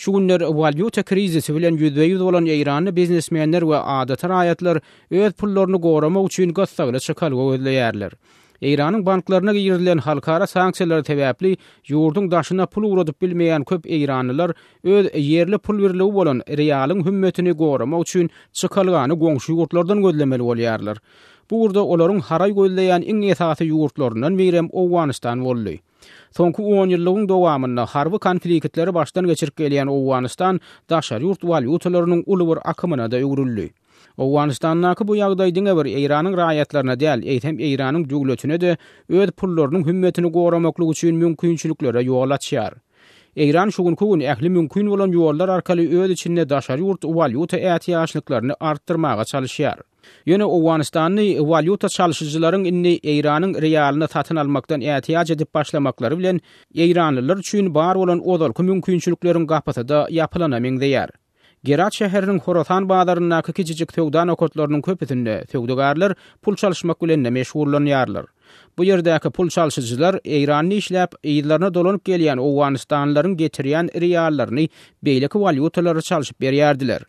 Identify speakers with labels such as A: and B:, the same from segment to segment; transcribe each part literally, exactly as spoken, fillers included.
A: Şu günler walýuta krizisi bilen ýüzbe-ýüz bolan Eýranly biznesmenler we adaty raýatlar öz pullaryny goramak üçin gyssagly çykalga gözleýärler. Eýranyň banklaryna girizilen halkara sanksiýalary sebäpli ýurduň daşyna pul ugradyp bilmeýän köp eýranlylar öz ýerli pul birligi bolan realyň hümmetini goramak üçin çykalgany goňşy ýurtlardan gözlemeli bolýarlar. Bu ugurda olaryň haraý gözleýän iň esasy ýurtlaryndan birem Owganystan boldy. Soňky on ýyllygyň dowamynda harby konfliktleri başdan geçirip gelýän Owganystan daşary ýurt walýutalarynyň uly bir akymyna da öwrüldi. Owganystandaky bu ýagdaý diňe bir Eýranyň raýatlaryna däl, eýsem Eýranyň döwletine-de öz pullarynyň hümmetini goramaklyk üçin mümkinçiliklere ýol açýar. Eýran şu günki gün ähli mümkin bolan ýollar arkaly öz içinde daşary ýurt walýuta ätiýaçlyklaryny artdyrmaga çalyşýar. Ýöne Owganystany walýuta çalşyjylaryň indi Eýranyň realyny satyn almakdan ätiýaç edip başlamaklary bilen Eýranlylar üçin bar bolan ozalky mümkinçilikleriň gapysy-da ýapylana meňzeýär. Gerat şäheriniň Horasan bazaryndaky kiçijik söwda nokatlarynyň köpüsinde söwdagärler pul çalyşmak bilen meşgullanýarlar. Bu ýerdäki pul çalşyjylar Eýranda işläp, yzlaryna dolanyp gelýän Owganystanlylaryň getirýän reallaryny beýleki walýutalara çalşyp berýärdiler.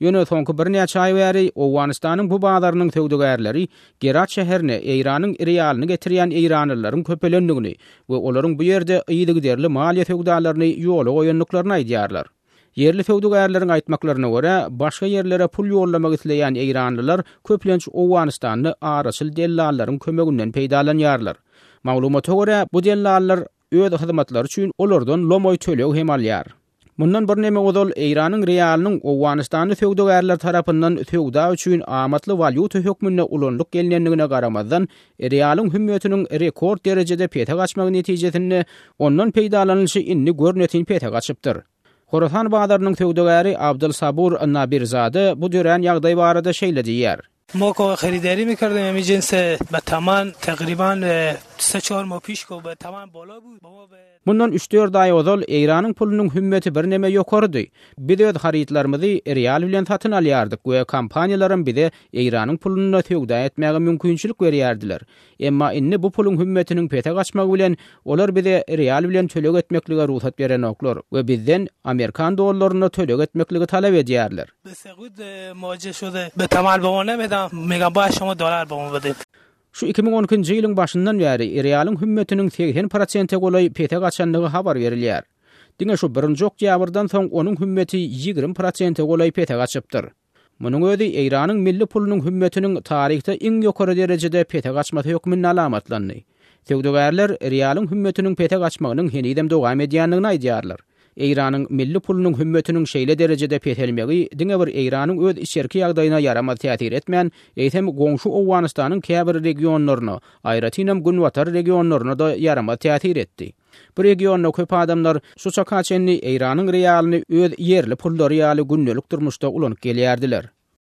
A: Ýöne soňky birnäçe aý bäri Owganystanyň bu bazarynyň söwdagärleri Gerat şäherine Eýranyň realyny getirýän eýranlylaryň köpelendigini we olaryň bu ýerde yzygiderli maliýe söwdalaryny ýola goýandyklaryny aýdýarlar. Ýerli söwdagärleriň aýtmaklaryna görä, başga ýerlere pul ýollamak isleýän eýranlylar köplenç Owganystanda araçyl dellallaryň kömeginden peýdalanýarlar. Maglumata görä, bu dellallar öz hyzmatlary üçin olardan lomoý töleg hem alýar. Mundan birneme ozal Eýranyň realynyň Owganystanda söwdagärler tarapyndan söwda üçin amatly walýuta hökmünde ulanylyp gelinendigine garamazdan, realyň hümmetiniň rekord derejede pese gaçmagy netijesinde ondan peýdalanylyşy indi görnetin pese gaçypdyr. Horasan bazarynyň söwdagäri Abdul Sabur Nabirzade bu dörän ýagdaý barada şeýle diýýär.
B: ما که خریداری می‌کردیم همین جنس به تمن تقریباً سه چهار ماه پیش که به تمن بالا بود.
A: Mundan üç dört aý ozal Eýranyň pulunyň hümmeti birneme ýokarydy. Biz öz harytlarymyzy real bilen satyn alýardyk we kompaniýalaram bize Eýranyň puluna söwda etmäge mümkinçilik berýärdiler. Emma indi bu puluň hümmetiniň pese gaçmagy bilen olar bize real bilen töleg etmeklige rugsat berenoklar we bizden Amerikan dollaryna töleg etmekligi talap edýärler.
B: به سقوط مواجه شده. به تمن به ما نمیدم. میگم باید شما دلار به ما بدید.
A: Şu iki müň on ikinji ýylyň başyndan bäri realyň hümmetiniň seksen prosente golaý pese gaçandygy habar berilýär. Diňe şu birinji oktýabrdan soň onuň hümmeti ýigrimi prosente golaý pese gaçypdyr. Munuň özi Eýranyň milli pulunyň hümmetiniň taryhda iň ýokary derejede pese gaçmasy hökmünde alamatlandy. Söwdagärler realyň hümmetiniň pese gaçmagynyň henizem dowam edýändigini aýdýarlar. Eýranyň milli pulunyň hümmetiniň şeýle derejede peselmegi diňe bir Eýranyň öz içerki ýagdaýyna ýaramaz täsir etmän, eýsem goňşy Owganystanyň käbir regionlaryna, aýratynam günbatar regionlaryna da ýaramaz täsir etdi. Bu regionda köp adamlar şu çaka çenli Eýranyň realyny öz ýerli pullary ýaly gündelik durmuşda ulanyp gelýärdiler.